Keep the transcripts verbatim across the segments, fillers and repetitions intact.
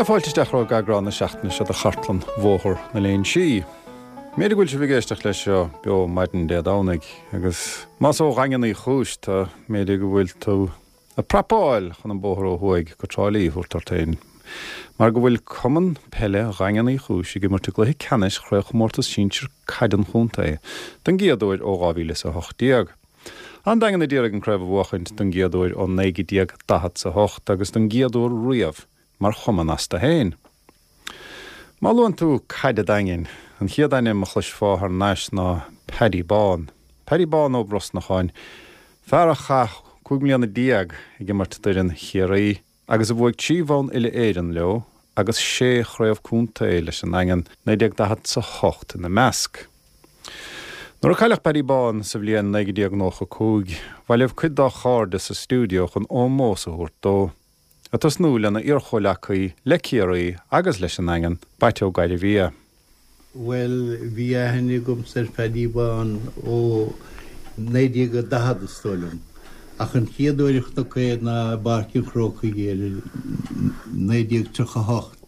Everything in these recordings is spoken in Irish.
Fáilte isteach chuig eagrán na seachtaine seo de chartlann Bhóthar na Léinsí. B'fhéidir go bhfuil sibh ag éisteacht leis seo beo maidin Dé Domhnaigh agus más ó Dhaingean Uí Chúis tú b'fhéidir go bhfuil tú ag prapáil chun an bóthar ó thuaidh go Trá Lí a thabhairt ort féin. Mar go bhfuil Cumann Peile Dhaingean Uí Chúis ag imirt i gcluiche ceannais chraobhchomórtas sinsir caide an chontae don gcéad uair ó dhá mhíle is a hocht déag. An Daingean a d'iarraidh an craobh a bhuachaint don gcéad uair ó naoi déag daichead is a hocht agus don gcéad uair riamh mar chumann astu féin. Má luann tú caid an Daingin, an chéad ainm a chloisfeá thar n-ais ná Paddy Bán. Paddy Bán Ó Brosnacháin, fear a chaith cúig mbliana déag ag imirt d'fhoireann Chiarraí agus a bhuaigh trí bhonn uile-Éireann leo agus sé chraobh contae leis an nDaingean, naoi déag daichead is a hocht ina measc. Nuair a cailleadh Paddy Bán sa bhliain naoi déag nócha cúig, bhailigh cuid dá chairde sa stiúideo chun ómós a thabhairt dó, ag tosnú lena iarchomhleacaí le Ciarraí agus leis an nDaingean, Baite Ó Gairbhia. Bhuel, bhí aithne agamsa ar Phaddy Bán ó naoi déag a daichead is dóigh liom, ach an chéad uair a chonac é ná i bPáirc an Chrócaigh i naoi déag tríocha a hocht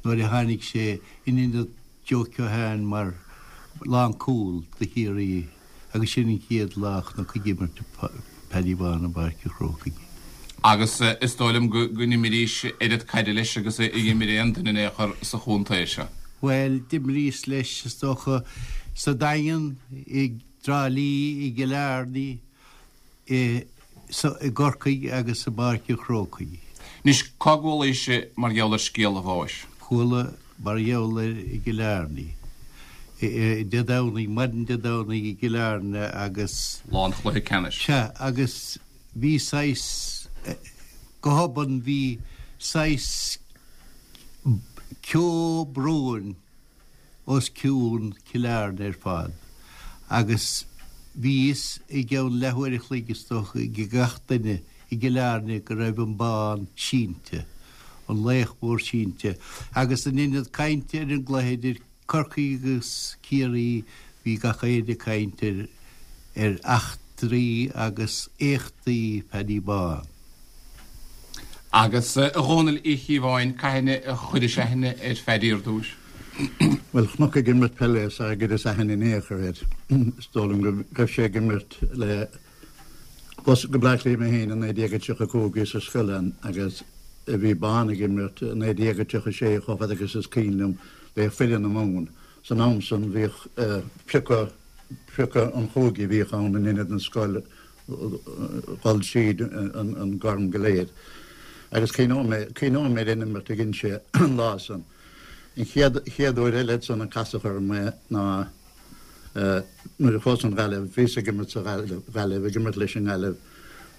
nuair a tháinig sé in ionad Joe Keohane mar lánchúl do Chiarraí agus sin an chéad lá a chonac ag imirt Paddy Bán i bPáirc an Chrócaigh. Agus is dóigh liom go n-imrís oiread caide leis agus a d'imir aon duine in aon chor sa chontae seo. Bhuel, d'imríos leis, is dócha, sa Daingean, i dTrá Lí, i gCill Airne, i gCorcaigh agus i bPáirc an Chrócaigh. Anois, cá gcualaís mar gheall ar scéal a bháis? Chuala mar gheall air i gCill Airne. Dé Domhnaigh, maidin Dé Domhnaigh i gCill Airne agus. Lá an chluiche ceannais. Sea, agus bhí saghas, go hobann bhí saghas ceo bróin os cionn Chill Airne ar fad agus bhí fhios i gceann leathuair a chloig is dócha ag gach duine i gCill Airne go raibh an bonn sínte, an laoch mór sínte agus in ionad cainte ar an gcluiche idir Corcaigh agus Ciarraí bhí gach éinne ag caint ar ar eachtraí agus éachtaí Phaddy Bán. Agus a Dhónaill Uí Chíobháin, cathain a chuiris aithne ar Phaddy ar dtús? Bhuel, chonac ag imirt peile sara gcuireas aithne in aon chor air. Is dóigh liom go raibh sé ag imirt le Chuas go Bleá Cliath mé féin i naoi déag a tríocha cúig, bhíos ar scoil ann agus bhí Bán ag imirt i naoi déag a tríocha sé chomh fada agus is cuimhin liom le foireann na Mumhan. San am san bhíodh piocadh, piocadh an chúige a bhíodh ann in ionad an scoil dhul tríd an gcorn go léir. Agus cuimhneoidh mé, cuimhneoidh mé ar an imirt a dhein sé an lá san. An chéad, chéad uair eile san a casadh orm é ná, Nuair a chuas chun Gaillimh, bhíos ag imirt sa Ghaillimh, ag imirt leis an nGaillimh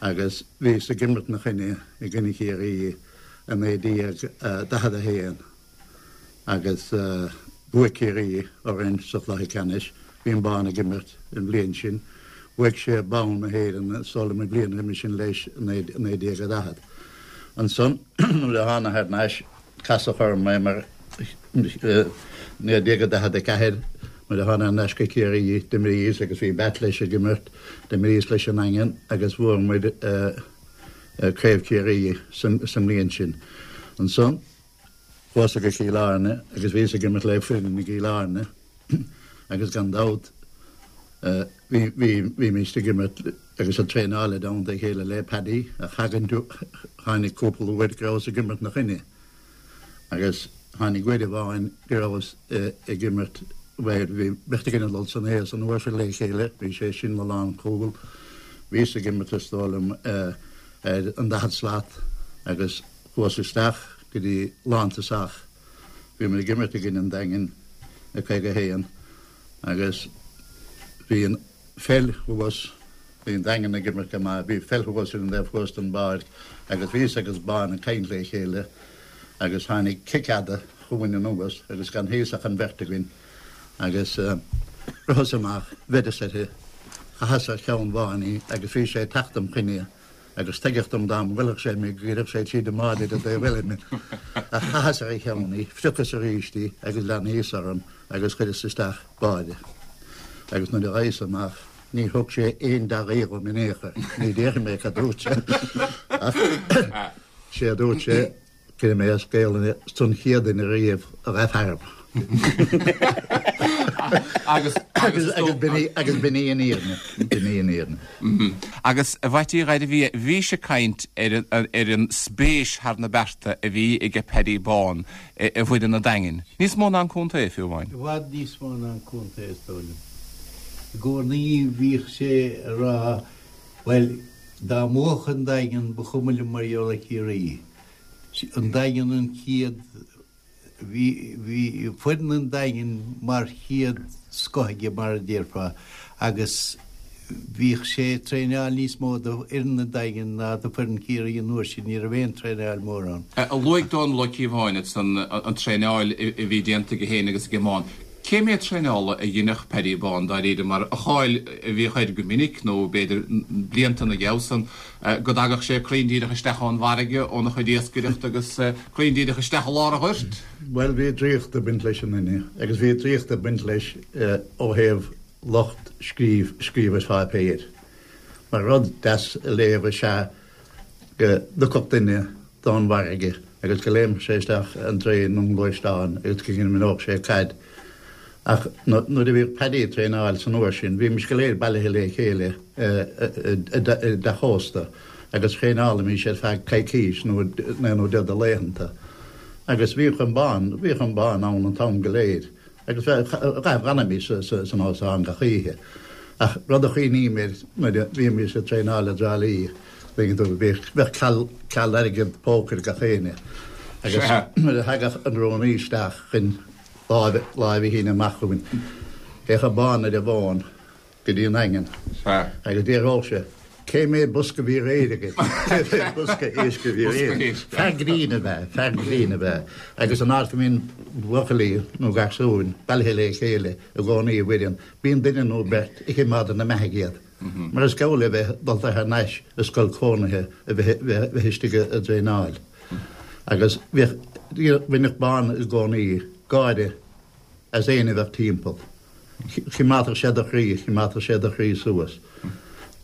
agus bhíos ag imirt 'na choinne i gcoinne Chiarraí i naoi déag daichead a haon agus bhuaigh Ciarraí orainn sa chluiche ceannais. Bhí an Bán ag imirt an bhliain sin. Bhuaigh sé bonn na hÉireann is dóigh liom an bhliain roimhe sin leis i naoi déag a daichead. Ansan nuair a thána thar n-ais, Casadh orm é mar naoi déag daichead a ceathair nuair a thána thar n-ais go Ciarraí d'imríos agus bhí Batt leis ag imirt, d'imríos leis an nDaingean agus bhuaigh muid Craobh Chiarraí sa mbliain sin. Ansan chuas go Cill Airne agus bhíos ag imirt le foireann i gCill Airne agus gan dabht bhí bhímist ag imirt agus ag traenáil i dteannta a chéile le Paddy ach tháinig cúpla uair go rabhas ag imirt 'na choinne agus tháinig uair amháin go rabhas ag imirt, bhuel, bhí beirt againn ag dul san aos an uair sin le chéile, bhí sé sin 'na lánchúl, bhíos ag imirt is dóigh liom ar an daichead slat agus chuas isteach go dtí lántosach, bhí muid ag imirt i gcoinne an Daingin i caoga a haon agus bhí an pheil thuas, bhí an Daingean ag imirt go maith, bhí pheil thuas ar an dtaobh thuas den bpáirc agus bhíos agus Bán ag caint le chéile agus tháinig cic fhada chugainn anuas agus gan thíos ach an bheirt againn agus ritheas amach, bheireas uirthi, chaitheas ar cheann Bháin í agus bhí sé ag teacht im choinne agus tuigeadh dom dá mbuailfeadh sé mé go gcuirfeadh sé tríd an mbád ar an dtaobh eile mé. Ach chaitheas ar a cheann í, phriocas arís í agus lean thíos orm agus chuireas isteach báire. Agus nuair a ghabhas amach ní thug sé aon dea-ghuí dhom in aon chor. Ní déarfaidh mé cad dúirt sé ach sé a dúirt sé, Cuirfidh mé as Gaelainn don chéad duine riamh a ghabh tharam. Agus Agus agus b'in í agus b'in í an fhírinne, b'in í an fhírinne. Agus a Mheaití Ghairbhia, bhís ag caint ar an ar an spéis thar na bearta a bhí aige Paddy Bán i bhfoireann an Daingin. Níos mó ná an contae fiú amháin. I bhfad níos mó ná an contae is dóigh liom. I gcónaí bhíodh sé ag rá, bhuel, dá mbuafadh an Daingean ba chuma liom mar gheall ar Chiarraí. An Daingean an chéad, bhí, bhí foireann an Daingin mar chéad scoth aige mar a déarfá agus bhíodh sé ag traenáil níos mó do fhoireann an Daingin ná do foireann Chiarraí an uair sin, ní raibh aon traenáil mór ann. Luaigh Dónal Ó Cíobháin ansan an traenáil a bhí déanta aige féin agus ag Bán. Cé méad traenála a dheineadh Paddy Bán dáiríre mar a cháil a bhíodh air go minic nó b'fhéidir blianta ina dhiaidh san go dtagadh sé cruinn díreach isteach ón bhfarraige óna chuid iascaireachta agus cruinn díreach isteach i lár an ghoirt? Bhuel bhí draíocht ag baint leis an nduine agus bhí draíocht ag baint leis ó thaobh lucht scríobh scríobh ar pháipéir. Mar rud deas a léamh is ea go dtiocfadh duine don bhfarraige agus go léimfeadh sé isteach an draein nó an gluaisteán agus go n-imreodh sé caid. Ach nuair a bhíodh Paddy ag traenáil san uair sin, bhímis go léir bailithe le chéile i dteach ósta agus thraenálaimís ar feadh coicís nó naoi nó deich de laethanta. Agus bhíodh an Bán, bhíodh an Bán ann an t-am go léir agus dh'fhanaimis san óstán gach oíche. Ach rud a chuimhním air nuair a bhímis ag traenáil i dTrá Lí, tuigeann tú, bhíodh, bheadh ceal, ceal airgead póca ag gach éinne. Agus nuair a thagadh an rúnaí isteach chun lámh a shíneadh amach chugainn. Théadh Bán ar an bhfón go dtí an Daingean agus d'fhiafródh sé, Cé mhéad bosca a bhí aréir agaibh? Cé mhéad bosca éisc a bhí aréir? Fear grinn ab ea, fear grinn ab ea. Agus an áit go mbíonn buachaillí nó garsúin bailithe le chéile i gcónaí i bhfoireann, bíonn duine nó beirt a choimeádann na meathaigh iad. Mar is geall le bheith dulta thar n-ais i scoil cónaithe a bheith istigh ag traenáil. Agus bhíodh, bhaineadh Bán i gcónaí gáire as éinne a bheadh timpeall. Choimeádfadh sé do chroí, choimeádfadh sé do chroí suas.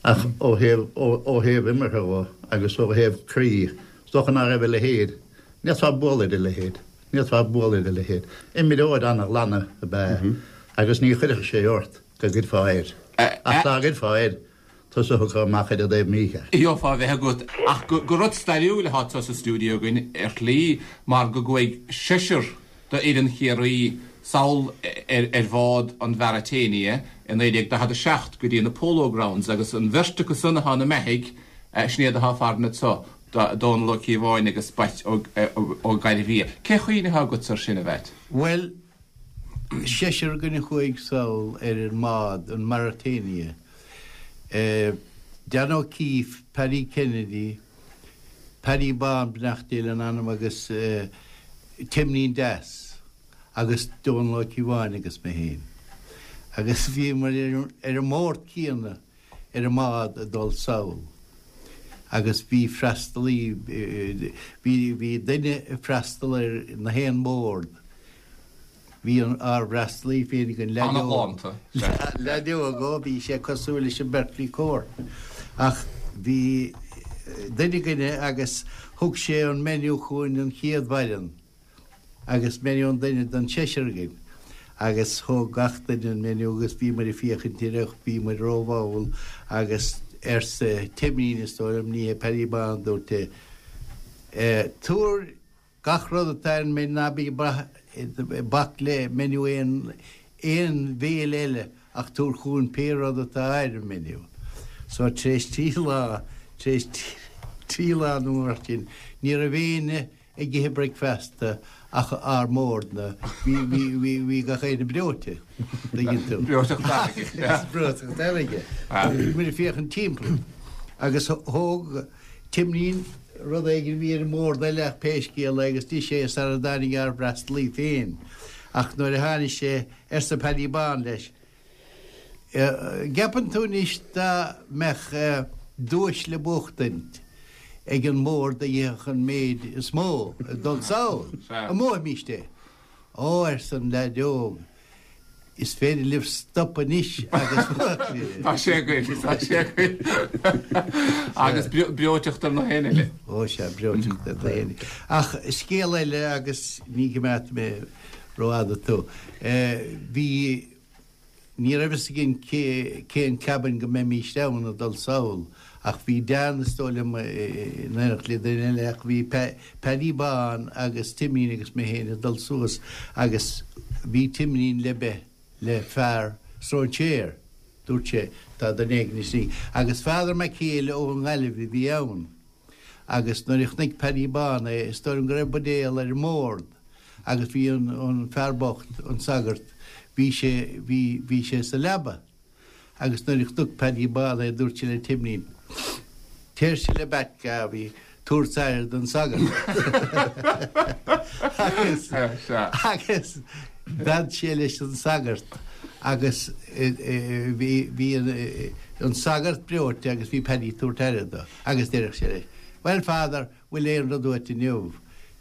Ach ó thaobh, ó thaobh imeartha dhó agus ó thaobh croí, is dócha ná raibh a leithéid, ní fhéadfá bualadh ar a leithéid, ní fhéadfá bualadh ar a leithéid. Imreoir an-ghlan ab ea é agus ní chuirfeadh sé ort go gcuirfeá air. Ach dá gcuirfeá air, tusa a thiocfadh amach ar an dtaobh mícheart. Gheofá a bheith agat. Ach gur rud stairiúil atá anseo sa stiúideo againn ar shlí mar go gcuaigh seisear d'fhoireann Chiarraí sall ar bhád an Mauretania i naoi déag daichead a seacht go dtí na Polo Grounds agus an bheirt acu san atá ina mbeathaigh, sin iad atá farainn anseo, Dónal Ó Cíobháin agus Batt Ó Gairbhia. Cén chuimhne atá agatsa ar sin, a Mheait? Bhuel, seisear againn a chuaigh sall ar an mbád, an Mauretania. Dan O'Keefe, Paddy Kennedy, Paddy Bán, beannacht Dé lena anam, agus Timlín Deas agus Dónal Ó Cíobháin agus mé féin. Agus bhíomar ar an mbord céanna ar an mbád ag dul sall. Agus bhí freastalaí, bhí, bhí duine ag freastal ar na haon mbord. Bhí ár bhfreastalaí féin againn, leaid óg. Leaid óg, ó, bhí sé cosúil leis an Berkeley Court. Ach bhí duine againne agus thug sé an menu chugainn an chéad mhaidin agus menu an duine don seisear againn. Agus thóg gach duine an menu agus bhí muid ag féachaint air ach bhí muid rómhall agus arsa Timlín, is dóigh liom, ní hé Paddy Bán, dúirt é, tabhair Gach rud atá ar an menu, ná bí ag bac le menu aon aon bhéile eile ach tabhair chugainn pé rud atá ar an menu. So tar éis trí lá, tar éis trí lá nó mar sin, ní raibh éinne ag ithe bricfeasta ach ár mbordna, bhí, bhí, bhí, bhí gach éinne breoite, tuigeann tú. Breoiteacht fharraige. Breoiteacht fharraige. Bhí muid ag féachaint timpeall agus thóg Timlín rud éigin a bhí ar an mbord eile ach pé scéal é agus d'ith sé sara dtáinig ár bhfreastalaí féin. Ach nuair a tháinig sé, arsa Paddy Bán leis, gceapann tú anois dá mbeadh duais le buachtaint ag an mbord a itheadh an méid is mó ag dul sall, an mbuafaimíst é? Ó, arsa an leaid óg, Is féidir libh stop anois agus Tá sé againn, tá sé againn. Agus breoiteacht ar na héinne eile. Ó sea, breoiteacht ar na héinne. Ach scéal eile agus ní choimeádfaidh mé rófhada tú. Bhí, ní raibh fhios againn cén cabin go mbeimís ann ag dul sall ach bhí Dan is dóigh liom in éineacht le duine eile ach bhí Paddy Bán agus Timín agus mé féin ag dul suas agus bhí Timín le beith le fear stróinséir, dúirt sé, tá duine éigin istigh. Agus Father McHale ón nGaillimh a bhí ann. Agus nuair a chonaic Paddy Bán é, is dóigh liom go raibh buidéal ar an mbord agus bhí an, an fear bocht, an sagart, bhí sé, bhí, bhí sé sa leaba. Agus nuair a chonaic Paddy Bán é, dúirt sé le Timín, Téirse le Bat Garvey, tabhairt aire don sagart. Agus, agus d'fhan sé leis an sagart agus bhí, bhí an, an sagart breoite agus bhí Paddy ag tabhairt aire dó agus deireadh sé leis, Well, Father, bhfuil aon rud uait inniu?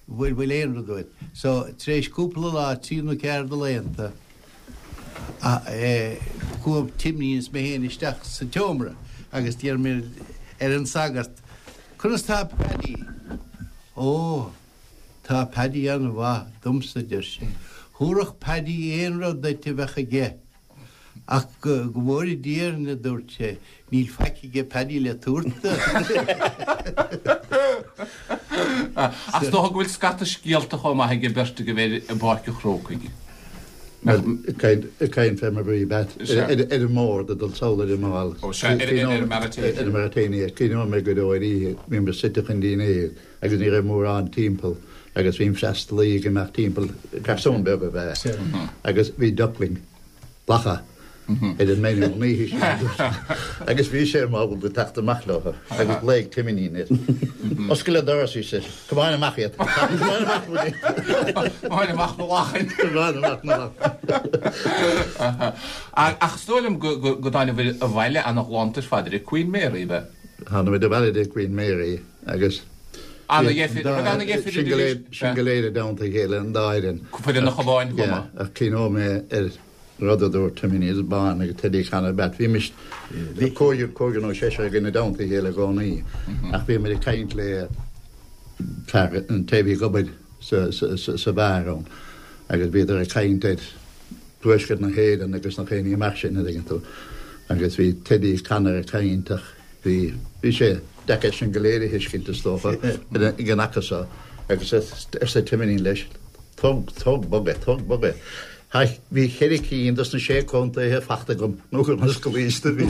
Bhfuil, bhfuil aon rud uait? So, tar éis cúpla lá, trí nó ceathair de laethanta, chuaigh Timín is mé féin isteach sa tseomra agus d'iarr mé ar an sagart, Conas tá Paddy? Ó, tá Paddy an-mhaith domsa, a deir sé. Thabharfadh Paddy aon rud duit a bheadh aige. Ach go bhfóire Dia orainn, a dúirt sé, níl faic aige Paddy le tabhairt duit. Ach is dócha go bhfuil scata scéalta chomh maith ag an bheirt agaibh ar i bPáirc an Chrócaigh. Ag caint fé mar bhí Bat ar an mbord ag dul sall ar an mball. Ó sea, ar an Mauritania. Ar an Mauritania. Cuimhneoidh mé go deo ar oíche, bhíomar suite chun dinnéir agus ní raibh mórán timpeall agus bhí an freastalaí ag imeacht timpeall, garsún beag ab ea é, agus bhí duckling, lacha, ar an menu an oíche sin agus bhí sé ábalta teacht amach leo agus ghlaoigh Timín air. Oscail an doras, he said. Comáin amach iad. Comáin amach muid. Comáin amach na lachain. Comáin amach na lachain. Ach is dóigh liom go dtáinig abhaile ana-ghlanta ar fad ar an Queen Mary, ab ea? Tháinig muid abhaile ar an Queen Mary agus Ana-dheifir, raibh ana-dheifir Sin go léir, sin go léir i dteannta a chéile an dá fhoireann. Foireann an Chabháin chomh maith. Ach cuimhneoidh mé ar rud a dúirt Timín is Bán agus Teddy Connor Bat. Bhímis cúigear, cúigear nó seisear againn i dteannta a chéile i gcónaí ach bhíomar ag caint le fear an té a bhí ag obair sa, sa, sa, sa bheár ann agus bhíodar ag caint ar Tuaisceart na hÉireann agus na chaoine amach sin a dtuigeann tú. Agus bhí Teddy Connor ag caint ach bhí, bhí sé deacair sin go léir a thuiscint is dócha ag an aca seo agus arsa Timín leis, tóg, tóg bog é, tóg bog é. Bhí ceithre cinn dos na sé contaetha fachta agam nó gur mar scolaíste bhí.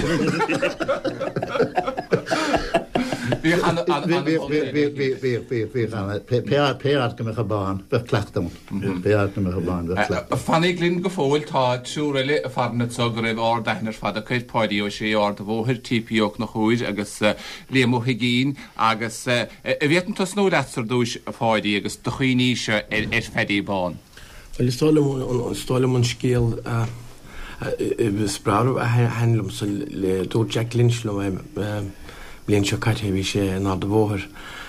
Bhí an Bhí pé áit go mbeadh an bán, bheadh cleachtadh ann. Pé áit go mbeadh an bán, bheadh cleachtadh. Fanaigí linn go fóill, tá triúr eile ag faire anseo go raibh ard-aithne ar fad acu ar Pháidí Ó Sé, Ard an Bhóthair, T P Ó Conchúir agus Liam Ó hUiginn agus an bhféadfainn tosnú leatsa ar dtúis, a Pháidí, agus do chuimhníse ar Phaddy Bán. Bhuel, is dóigh liom, is dóigh liom an scéal is breá a thaitin liomsa le, dúirt Jack Lynch liom é bliain seo caite, bhí sé in Ard an Bhóthair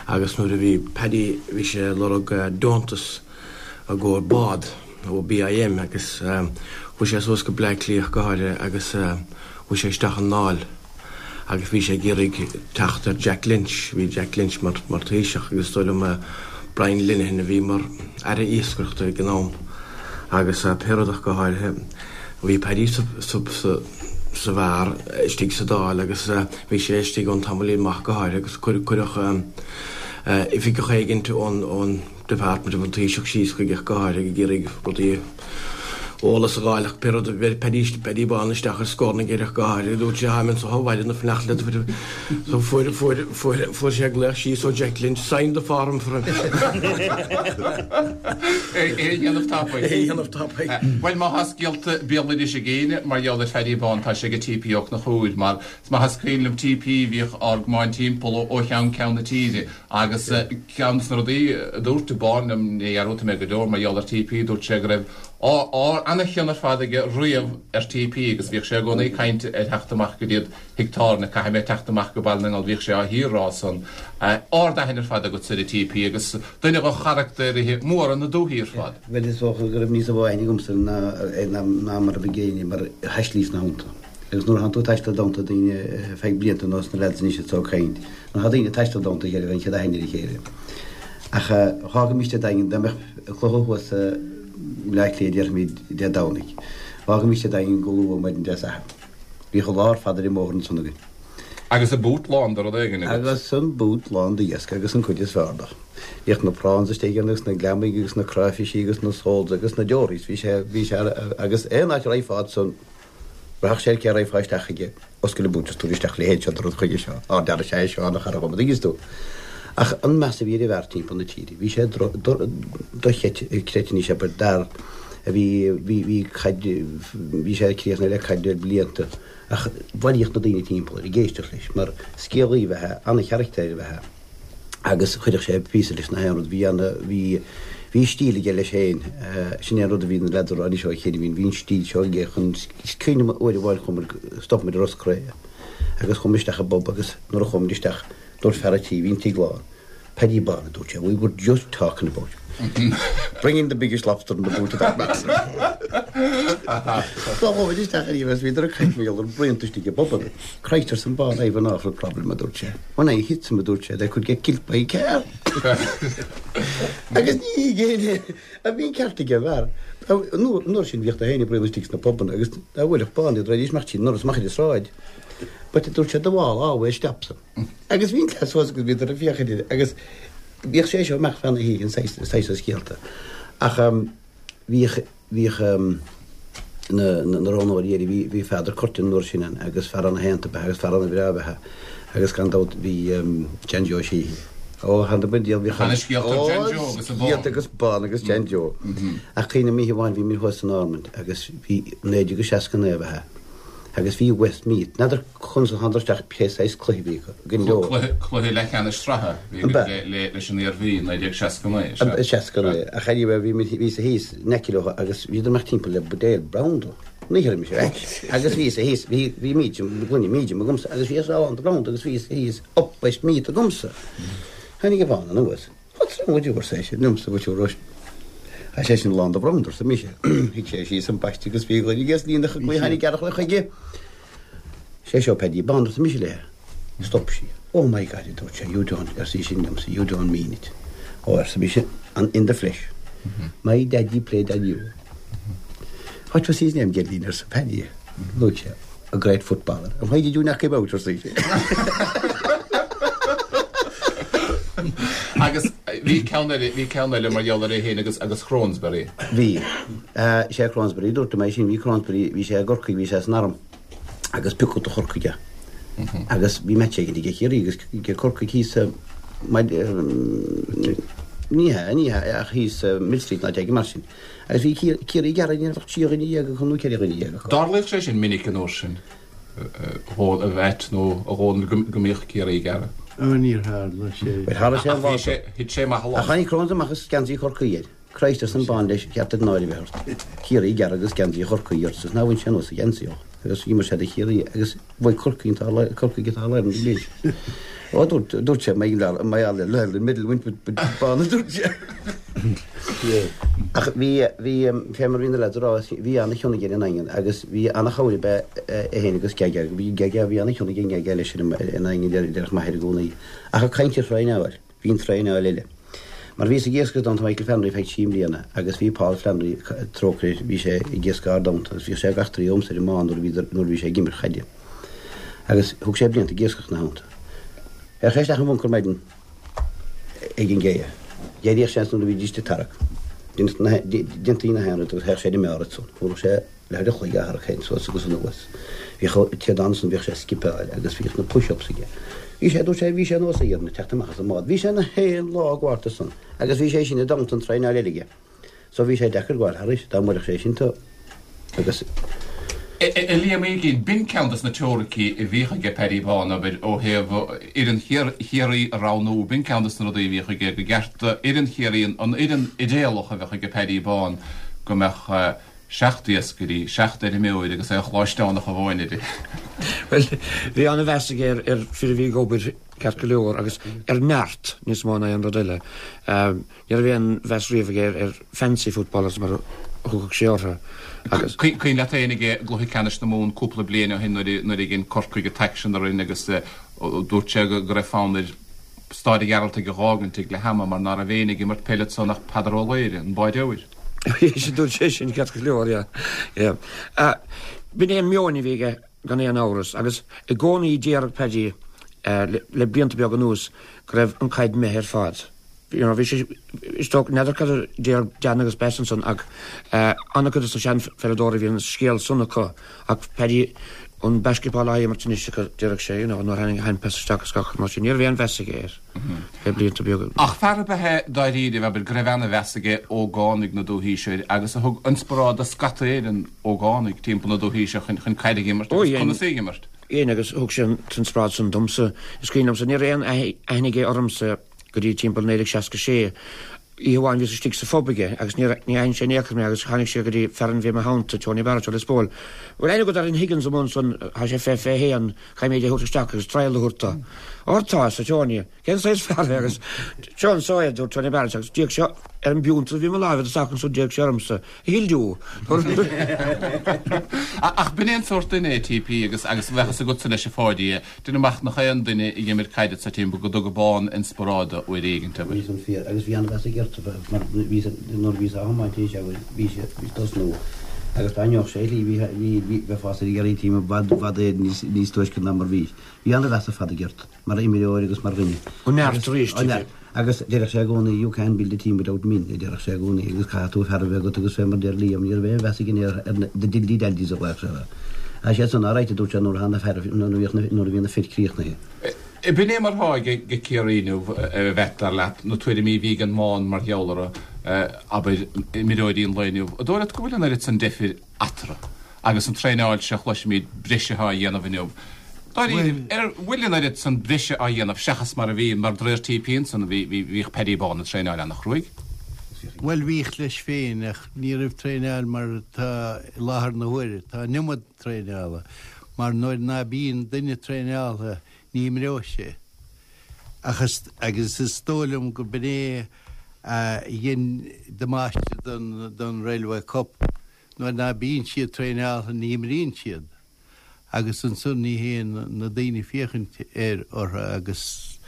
agus nuair a bhí Paddy, bhí sé ag lorg deontas i gcomhair bád ó B I M agus chuaigh sé suas go Bleá Cliath go háirithe agus chuaigh sé isteach i nDáil agus bhí sé ag iarraidh teacht ar Jack Lynch, bhí Jack Lynch mar, mar Taoiseach agus is dóigh liom Brian Lenihan a bhí mar Aire Iascaireachta ag an am agus pé rud ach go háirithe bhí Paddy sa, sa, sa, sa bheár istigh sa Dáil agus bhí sé istigh ann tamaillín maith go háirithe agus cuireadh oifigeach éigint ón, ón Department of an Taoiseach síos chuige go háirithe ag iarraidh rudaí eolas a fháil ach pé rud bheir Paddy, Paddy Bán isteach ar scornaigh air ach go háirithe dúirt sé táim anseo ó mhaidin ag fanacht le so fuair, fuair, fuair, fuair sé glaoch síos ó Jack Lynch, sign the form for him. É a dhéanamh tapaidh. É a dhéanamh tapaidh. Bhuel, má tá scéalta béaloidis ag éinne mar gheall ar Phaddy Bán, tá sé ag T P Ó Conchúir, mar is maith is cuimhin liom T P bhíodh ár gcamáin timpeall ó cheann ceann na tíre agus ceann de na rudaí a dúirt Bán liom, ní dhearúdfaidh mé go deo mar gheall ar T P, dúirt sé go raibh ana-chion ar fad aige riamh ar TP agus bhíodh sé i gcónaí ag caint ar theacht amach go dtí Thigh Tábhairne, caithfidh mé teacht amach go Baile na nGall, bhíodh sé á shíor-rá san. Ard-aithne ar fad agatsa ar TP agus duine de charachtair mhóra na dúiche ar fad. Bhuel is dócha go raibh níos mó aithne agamsa ná mar a bhí ag éinne mar thaistlíos ina theannta. Agus nuair a thánn tú ag taisteal i dteannta daoine feadh blianta nós na lads anois atá ag caint, nuair atá daoine ag taisteal i dteannta a chéile bheidh an chéad aithne ar a chéile. Ach dh'fhágaimis Dé Daingin, dá mbeadh cluiche thuas i mBleá Cliath déarfaimid Dé Domhnaigh, dh'fhágaimis Dé Daingin go luath maidin Dé Sathairn. Bhíodh an lá ar fad ar an mbóthar ansan againn. Agus an boot lán de rud éigin agat. Agus an boot lán d'iasc agus an cuid is fearr de. Bhíodh na prawns istigh ann agus na gliomaigh agus na cráifisí agus na soles agus na dories, bhí sé, bhí sé, agus aon áit a raghfá ansan, Rachadh sé ar cé a raghfá isteach chuige, oscail an boot is tabhair isteach a leithéid seo de rud chuige seo, á deara sé é seo ana chara dhom, an dtuigeanns tú. Ach an meas a bhí ar an bhfear timpeall na tíre, bhí sé dochreidte anois abair d'fhear a bhí, bhí, bhí caid, bhí sé críochnaithe le caid le blianta ach bhailíodh na daoine timpeall air ag éisteacht leis mar scéalaí ab ea é, ana-charachtar ab ea é. Agus chuirfeadh sé píosa leis na haon rud, bhí ana, bhí, bhí stíl aige leis féin, sin é an rud a bhí na leaids a rá anois ó chéile, bhí, bhí an stíl seo aige chun, is cuimhin liom uair amháin chuamar, stop muid i Ros Cré agus chuamar isteach i bpub agus nuair a chuaigh muid isteach dúirt fear a' tí, bhí an tigh lán, Paddy Bán, a dúirt sé, we were just talking about you. Bring in the biggest lobster in the boot of that man. So chuaigh muid isteach ar agus bhíodar ag caint mar gheall ar braonta istigh i bpubanna. Christ arsa an Bán, I've an awful problem, a dúirt sé. When I hit them, a dúirt sé, they could get killed by a car. Agus ní ghéine a bhí an ceart ag an bhfear. An uair sin bhíodh na héinne ag braon istigh sna pubanna agus dá bhfuilfeadh Bán iad raghaidís amach tríd an ndoras amach ar an sráid. But a dúirt sé, the wall always stops them. Agus bhí an cleas suas agus bhíodar ag féachaint air agus bhíodh sé seo amach feadh na hoíche, an saghas saghas scéalta. Ach bhíodh bhíodh na na roghnóirí air, bhí bhí Peadar Curtin an uair sin ann agus fear ana-shaonta ab ea agus fear ana-bhreá ab ea agus gan dabht bhí Jan Joe Sheehy. Ó, thar na bain diabhal bhíodh Tá na scéalta ar Jan Joe agus an Bán. Scéalta agus Bán agus Jan Joe. Ach cuimhním oíche amháin bhí muid thuas san Ormond agus bhí naoi déag seasca naoi ab ea. Agus bhí Westmeath, n'fheadar conas a thánadar isteach pé saghas cluiche a bhí acu, go leor. Cluiche, cluiche leathcheannais sraithe a bhí An agat b'ea? le, le, leis an Iarmhí, naoi déag seasca naoi, is ea? Seasca naoi. Ach anyway, bhí muid, bhíos thíos in aice leo agus bhíodar amach timpeall le buidéal branda. Ní chuir mise ar ais. Agus bhíos thíos, bhí, bhí medium, gloine medium agamsa agus bhí a lán de branda agus bhíos thíos up Westmeath agamsa. Tháinig an Bán anuas. What's wrong with you, arsa eisean, liomsa, with your rush. Tá sé sin lán de bhranda, arsa mise. Shuigh sé síos an paiste agus bhí a ghuaillí líonach acu, tháinig earrach chuige. Sé seo Paddy Bán, arsa mise léi. Stop sí. Oh my God, a dúirt sé, you don't, arsa í sin liomsa, you don't mean it. Oh, arsa mise, in the flesh. My daddy played on you. What was his name, Geraldine, arsa Paddy. Luaigh sé, a great footballer. And why did you knock him out, arsa í sin. Agus bhí ceann eile, bhí ceann eile mar gheall ar é féin agus, agus Cronsberry. Bhí. Sé Cronsberry, dúirt mé sin, bhí Cronsberry, bhí sé i gCorcaigh, bhí sé san arm agus piocadh do Chorcaigh é. Agus bhí match éigin aige Ciarraí agus aige Corcaigh thíos ní hea, ní hea, ach thíos Millstreet nó áit éigin mar sin. Agus bhí Ciarraí gearrtha, ní raibh ach trí dhuine dhéag acu nó ceithre dhuine dhéag acu. Tharlaíodh sé sin minic an uair sin, a Mheait nó a Dhónaill, go mbíodh Ciarraí gearrtha. Ó níor tharla sé. Bhuel, tharla sé an Ach lá bhí sé, thit sé amach a Ach lán. tháinig Crones amach agus geansaí Chorcaí air. Christ arsa an Bán leis, ceart duit náire a bheith ort. Ciarraí gearrtha agus geansaí Chorcaí ort, is ná bhain sé anuas a gheansaí ó. Agus d'imir sé do Chiarraí agus bhuaigh Corcaigh an t-ár, Corcaigh an tAll-Ireland an bhliain sin. Ó, dúirt, dúirt sé, my, my All-Ireland medal went with, with Bán, a dúirt sé. Ach bhí, bhí, fé mar bhí na lads a rá, bhí ana-chion aige ar an nDaingean agus bhí ana-chabhair ab ea é féin agus Gaga. Bhí Gaga, bhí ana-chion aige Gaga leis ar an nDaingean, deir, déarfadh m'athair i gcónaí. Ach ag caint ar thraenáil, bhí an traenáil eile. Mar bhíos ag iascach i dteannta Michael Flannery feadh trí mbliana agus bhí Paul Flannery, trócaire air, bhí sé ag iascach ár dteannta agus bhíodh sé gach trí agamsa ar an mbán nuair a bhí, nuair a bhí sé ag imirt chaide. Agus thug sé blianta ag iascach ina theannta. Théadh sé isteach i mbuncar maidin ag an gcé. D'éiríodh sé nuair a bhídís ag tarrac. Déantaí na haon rud agus théadh sé ar an mbeár ansan. Fuair sé leathuair a chloig á tharrac féin suas agus anuas. Bhíodh téad ansan, bhíodh sé ag skipeáil agus bhíodh na push-ups aige. Bhí sé, dúirt sé, bhí sé nós a dhéanamh teacht amach as an mbád. Bhí sé na haon lá ag gabháilt ansan agus bhí sé sin i dteannta an traenáil eile aige. So bhí sé deacair gabháil thairis dá mbuailfeadh sé sin tú agus. A Liam Uí Uiginn, b'in ceann des na teoiricí a bhíodh aige Paddy Bán, abair, ó thaobh fhoireann Chiarraí a roghnú, b'in ceann des na rudaí a bhíodh aige, go gceart fhoireann Chiarraí, an fhoireann idéalach a bheadh aige Paddy Bán, go mbeadh seacht iascairí, seacht fheirmeoir agus aon ghluaisteánach amháin uirthi. Bhuel, bhí an-mheas aige ar, ar fir a bhí ag obair ceart go leor agus ar neart níos mó ná aon rud eile. Ní raibh aon mheas riamh aige ar, ar fancy footballers mar a thugadh sé orthu. Agus Cuimhin leat féin ag gcluiche ceannais na Mumhan cúpla bliain ó shin nuair a dhein Corcaigh an t-aicsean orainn agus dúirt sé go raibh fonn air Staid an Ghearaltaigh a dh'fhágaint ag leath ama mar ná raibh éinne ag imirt peile ansan ach Peadar Ó Laoghaire, an báireoir. Sin dúirt sé sin ceart go leor, yeah. Yeah. B'in é an meon a bhí aige gan aon amhras agus i gcónaí déarfadh Paddy le, le blianta beaga anuas go raibh an caid imithe ar fad. You know, bhí sé is dócha n'fheadar cad a deir Dan agus Bess ansan ach an-chuid de na seanpheileadóirí bhí an scéal san acu ach Paddy an basketball á imirt anois acu déarfadh sé, you know, nuair tháinig hand pass isteach is gach mar sin. Ní raibh aon mheas aige air le blianta beaga. Ach fear ab ea é dáiríre, abair, go raibh ana-mheas aige ógánaigh na dúthaí seo agus a thug inspioráid do scata Éireann ógánaigh timpeall na dúthaí seo chun chun caid a imirt Ó, agus dhein. conas í a imirt. Dhein agus thug sé an t-inspioráid san domsa. Is cuimhin liomsa, ní raibh aon aithne aige ormsa go dtí timpeall naoi déag seasca sé. Oíche amháin bhíos istigh sa phub aige agus ní ní aithin sé in aon chor mé agus tháinig sé go dtí fear a bhí i mo theannta, Tony Barrett ó Lios Póil. Bhfuil aithne agat ar an Higgins amuigh ansan, tá sé fiche fiche haon, caithfidh mé é a thabhairt isteach agus trial a thabhairt dó. Óir tá, arsa Tony, cén saghas fear é agus seo anso é, dúirt Tony Barrett agus d'fhéach sé ar an bpiúnta a bhí i mo láimh isteach ansan d'fhéach sé ormsa. He'll do. Ach b'in é an sórt duine é TP agus agus bheadh a fhios agatsa leis a Pháidí, déanaim amach nach aon duine a d'imir caid sa timpeall go dtuga Bán inspioráid dó uair éigin, abair. Bhí san fíor agus bhí an-mheas aige ort mar bhí nuair a bhí sé á thiomáint arís abair bhí sé bhí tosnú agus dá ndeoch sé shlí bhí bhí bhí bheifeá ag iarraidh team i bhfad bhfad é níos níos túisce ná mar bhí. Bhí an-mheas ar fad aige ort mar imreoir agus mar dhuine. Ó neart arís, Ó neart. Agus déarfadh sé i gcónaí you can't build a team without men, a déarfadh sé i gcónaí agus caithfidh tú fear a bheith agat agus fé mar deir Liam ní raibh aon mheas aige ar ar na the dildy daldies a ghlaoch sé orthu. Tá sé san alright a dúirt sé nuair a thána fear nuair a bhíodh na nuair a bhí na fir críochnaithe. B'in é mar atá ag ag Ciarraí inniu a bheith dar leat na tuairimí a bhí ag an mBán mar gheall orthu, abair, imreoirí an lae inniu. An dóigh leat go bhfuil an oiread san deifir eatarthu agus an traenáil seo a chloisimid breise á dhéanamh inniu? Dáiríre, ar bhfuil an oiread san breise á dhéanamh seachas mar a bhí mar de réir TP ansan bhí bhíodh Paddy Bán ag traenáil an-chruaidh? Bhuel bhíodh leis féin ach ní raibh traenáil mar atá i láthair na huaire. Tá an iomad traenála mar nuair ná bíonn duine traenáilte ní imreoidh sé. Ach is, agus is dóigh liom go b'in é a dhein damáiste don, don Railway Cup. Nuair ná bíonn siad traenáilte ní imríonn siad. Agus ansan ní théann na daoine féachaint ar orthu agus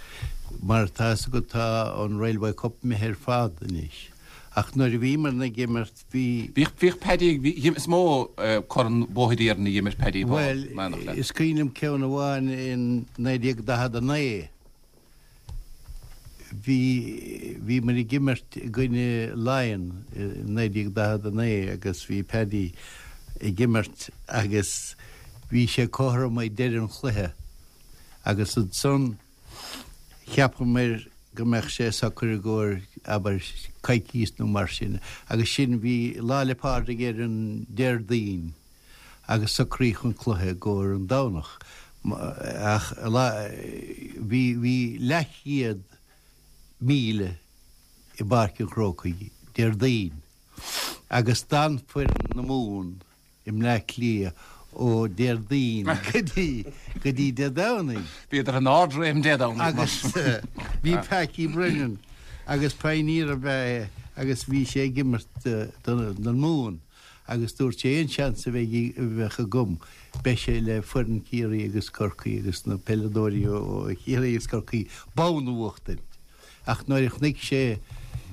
mar atá a fhios agat tá an Railway Cup imithe ar fad anois. Ach nuair a bhíomar ag imirt bhí. Bhíodh, bhíodh Paddy, bhí, is mó Corn Bhóthair Iarainn a d'imir Paddy Bán, Bhuel, meánach leat. is cuimhin liom ceann amháin in naoi déag daichead a naoi. Bhí, bhíomar ag imirt i gcoinne Laighean i naoi déag daichead a naoi agus bhí Paddy ag imirt agus bhí sé cothrom ag deireadh an chluiche agus ansan cheapamar go mbeadh sé socair i gcomhair, abair, coicís nó mar sin agus sin, bhí Lá 'le Pádraig ar an Déardaoin agus socraíodh an cluiche i gcomhair an Domhnach ach bhí, bhí leathchéad míle i bPáirc an Chrócaigh Déardaoin agus d'fhan foireann na Mumhan i mBleá Cliath ó Déardaoin go dtí go dtí Dé Domhnaigh. Bhíodar in ardréim Dé Domhnaigh. Agus bhí Packie Brennan agus pioneer ab ea é agus bhí sé ag imirt don Mumhan agus dúirt sé aon seans a bheidh a bheadh agam beidh sé le foireann Chiarraí agus Corcaí agus na peileadóirí ó Chiarraí agus Corcaí bonn a bhuachtaint. Ach nuair a chonaic sé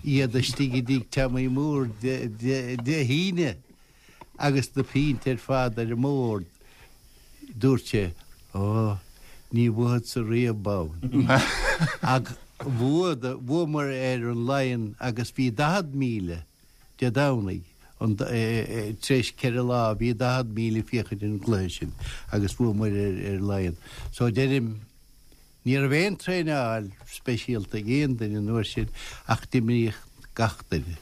iad istigh i dtigh Tommy Moore Dé hAoine agus na piontaí ar fad ar an mbord, dúirt sé, Ó, ní bhuafadsa riamh bonn. Ach bhuamar ar an Laighean agus bhí daichead míle Dé Domhnaigh, tar éis ceithre lá, bhí daichead míle féachaint ar an gcluiche sin agus bhuamar ar Laighean. So deirim, ní raibh aon traenáil speisialta ag aon duine an uair sin ach d'imríodh gach duine.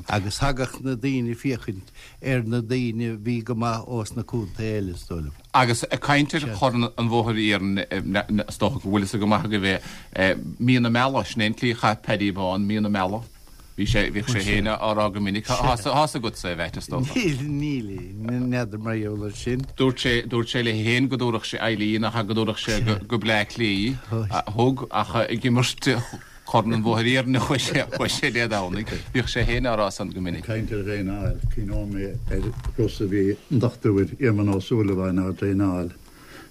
Agus thagadh na daoine féachaint ar na daoine a bhí go maith ós na contaetha eile, is dóigh liom. Agus ag caint ar Chorn an Bhóthair Iarainn, is dócha go bhfuil fhios go maith agaibh é, mí na meala, sin é an tslí a chaith Paddy Bán mí na meala. Bhí sé, bhíodh sé féin á rá go minic, tá a fhios agatsa é, a Mheait, is dócha. Níl, níl, n'fheadar mar gheall air sin. Dúirt sé, dúirt sé léi féin go dtabharfadh sé Eileen ach go dtabharfadh sé go, go Bleá Cliath í. Thug, ach ag imirt Chorn an Bhóthair Iarainn a chuaigh sé, chuaigh sé Dé Domhnaigh. Bhíodh sé féin á rá san go minic. Ag caint ar dhraenáil, cuimhneoidh mé ar thuras a bhí an Dochtúir Éamonn Ó Súilleabháin á dtraenáil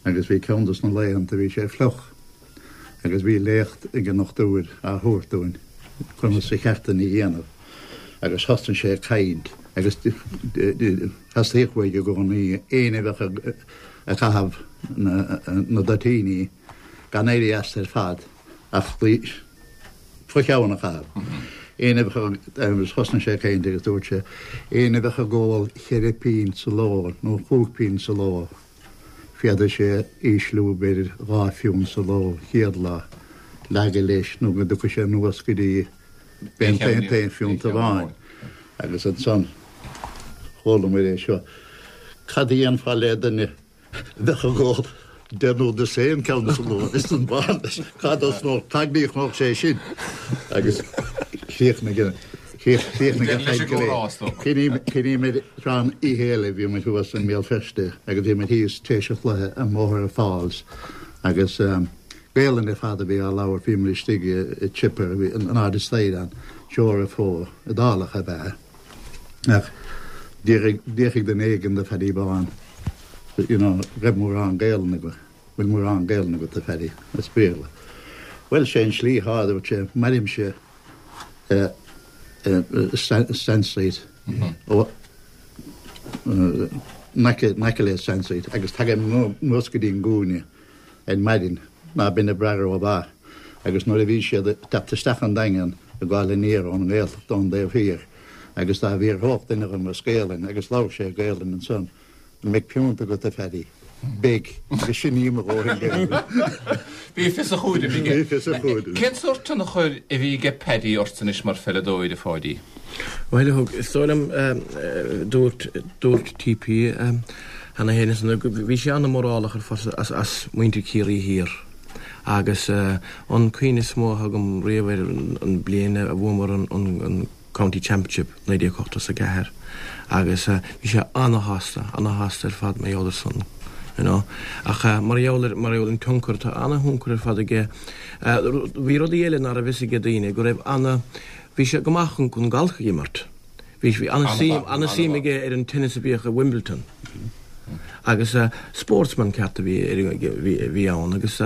agus bhí ceann dos na laethanta bhí sé fliuch agus bhí léacht ag an ndochtúir á thabhairt dúinn conas a cheart dúinn a dhéanamh agus thosnaigh sé ag caint agus theastaíodh uaidh i gcónaí éinne a bheadh ag caitheamh na dtoitíní gan éirí as ar fad ach fo-cheann a chaitheamh. Éinne a bheadh agus thosnaigh sé ag caint agus dúirt sé, éinne a bheadh ag ól cheithre pínt sa ló nó chúig pínt sa ló, Féadfaidh sé ísliú b'fhéidir dhá phiúnt sa ló chéad lá, leagadh leis nó go dtiocfaidh sé anuas go dtí aon phiúnt amháin. Agus ansan chuala muid é seo. Cad a dhéanfá le duine a bheadh ag ól deich nó dosaen ceann sa ló is an bán leis? Cá dtosnódh, cá gcríochnódh sé sin? Agus chríochnaigh an. Chríochnaigh an chaint go léir. Cuimhním ar thráth oíche eile bhí muid thuas i mBéal Feirste agus bhí muid thíos tar éis an chluiche i mBóthar an Falls agus Gaelainn ar fad a bhí á labhairt, bhí muid istigh i chipper in airde staighre ann, Seoirse Iodálach ab ea ach d'fhiafraigh duine éigin de Phaddy Bán you know raibh mórán Gaelainn agat, bhfuil mórán Gaelainn agat a Phaddy, as Béarla. Bhuel sé an tslí atá, a dúirt sé, mairimse Stand Street in aice le Stand Street agus tagaim anuas go dtí an gcúinne ar maidin ná binn ag brath rómhaith agus nuair a bhí siad ag teacht isteach an Daingean ag gabháil aniar ón nGaeltacht ón dtaobh thiar agus dá bhfiafródh duine dhom as Gaelainn agus labhair sé Gaelainn ansan An mbeidh piúnt agat a Phaddy? Beidh, agus sin í mo dhóthain Gaeilge. Bhí fios a chúraim aige. Bhí fios a chúraim. Cén sórt tionchair a bhí aige Paddy ort anois mar pheileadóir, a Pháidí? Bhuel, a thug, is dóigh liom, dúirt, dúirt TP cheana féin ansan go, bhí sé an-mhórálach ar fad as, as muintir Chiarraí Thiar agus an cuimhne is mó atá agam riamh air an bliain a bhuamar an, an, an County Championship naoi déag ochtó is a ceathair agus bhí sé ana-shásta, ana-shásta ar fad mar gheall ar san, you know. Ach mar gheall ar, mar gheall ar an tionchar, tá ana-thionchar ar fad aige. Bhí rudaí eile ná raibh fhios ag daoine, go raibh ana, bhí sé go maith chun, chun galf a imirt. Bhí, bhí ana-suim, ana-suim aige ar an tennis a bhíodh i Wimbledon. Agus sportsman ceart a bhí, bhí, bhí ann agus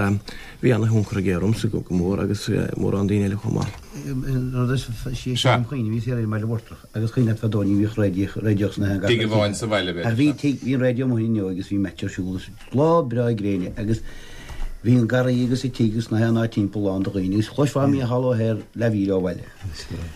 bhí ana-thionchar aige ormsa go mór agus mórán daoine eile chomh maith. Rud is sí an chuimhne, bhí saol ar an mBaile Mhurtrach agus cuimhin leat fadó ní bhíodh raidió, raidió sna gach Tigh amháin sa bhaile b'fhéidir. Ach bhí tigh, bhí an raidió amuigh inniu agus bhí match ar siúl agus lá breá gréine agus bhí an garraí agus an tigh agus na haon áit timpeall lán de dhaoine agus chloisfeá Mícheál O'Hehir leathmhíle ó bhaile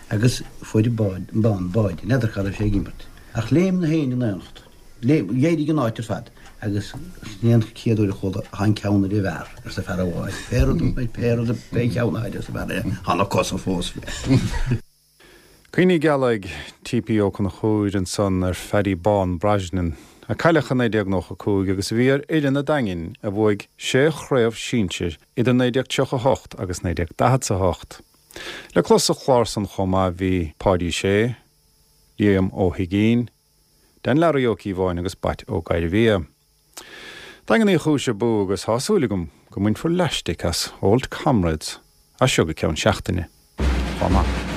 agus fuair an bád, an bán báide, n'fheadar cá raibh sé ag imirt ach léim na héin in aonacht. D'éirigh an áit ar fad agus sin é an chéad uair a chuala Tá an ceann ar an bhfear, arsa fear amháin. Pé rud, pé rud, pé ceann atá air, arsa fear eile, tá na cosa fós fé. Cuimhní geala ag T.P. Ó Conchúir ansan ar Phaddy Bán Brosnan, a cailleadh i naoi déag nócha cúig agus a bhí ar fhoireann an Daingin a bhuaigh sé chraobh sinsir idir naoi déag tríocha a hocht agus naoi déag daichead a hocht. Le clos sa chlár san chomh maith bhí Páidí Sé, Liam Ó hUiginn, Dan Learaí Ó Cíobháin agus Batt Ó Gairbhia. Daingean Uí Chúis abú agus tá súil agam go mbainfear leaistic as Old Comrades as seo go ceann seachtaine chomh maith.